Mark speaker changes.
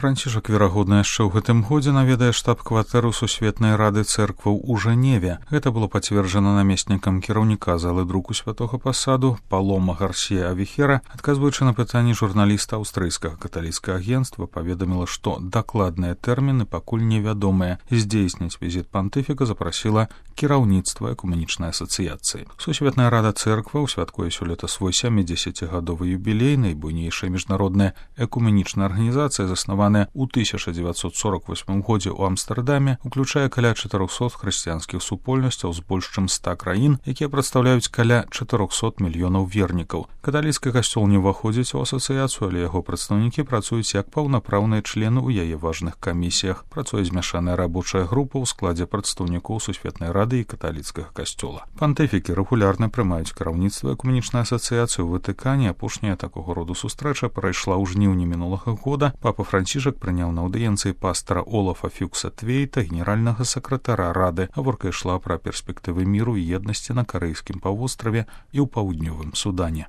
Speaker 1: Францішак, верагодна, яшчэ ў гэтым годзе наведае штаб-кватэру Сусветнай рады цэркваў у Жэневе. Гэта было пацверджана намеснікам кіраўніка залы друку святога пасаду Палома Гарсія Авіхера, адказваючы на пытанні журналіста аўстрыйскага каталіцкага агенцтва, паведаміла, што дакладныя тэрміны пакуль невядомыя. Здзейсніць візіт пантыфіка запрасіла кіраўніцтва экуменічнай асацыяцыі. Сусветная рада цэркваў святкуе сёлета свой 70-гадовы юбілей. Найбуйнейшая міжнародная экуменічная арганізацыя, заснаваная у 1948 годзе ў Амстэрдаме, уключае каля 400 хрысціянскіх супольнасцяў з больш чым 100 краін, якія прадстаўляюць каля 400 мільёнаў вернікаў. Каталіцкі касцёл не ўваходзіць у асацыяцыю, але яго прадстаўнікі працуюць як паўнапраўныя члены ў яе важных камісіях. Працуе змяшаная рабочая група ў складзе прадстаўнікоў Сусветнай рады і каталіцкага касцёла. Пантыфікі рэгулярна прымаюць кіраўніцтва экуменічнай асацыяцыі ў Ватыкане. Апошняя такога роду сустрэча прайшла ў жніўні мінулага года. Папа Францішак прыняў на аўдыенцыі пастара Олафа Фюкса Твейта, генеральнага сакратара рады. Гаворка ішла пра перспектывы міру і еднасці на карэйскім паўвостраве і ў паўднёвым Судане.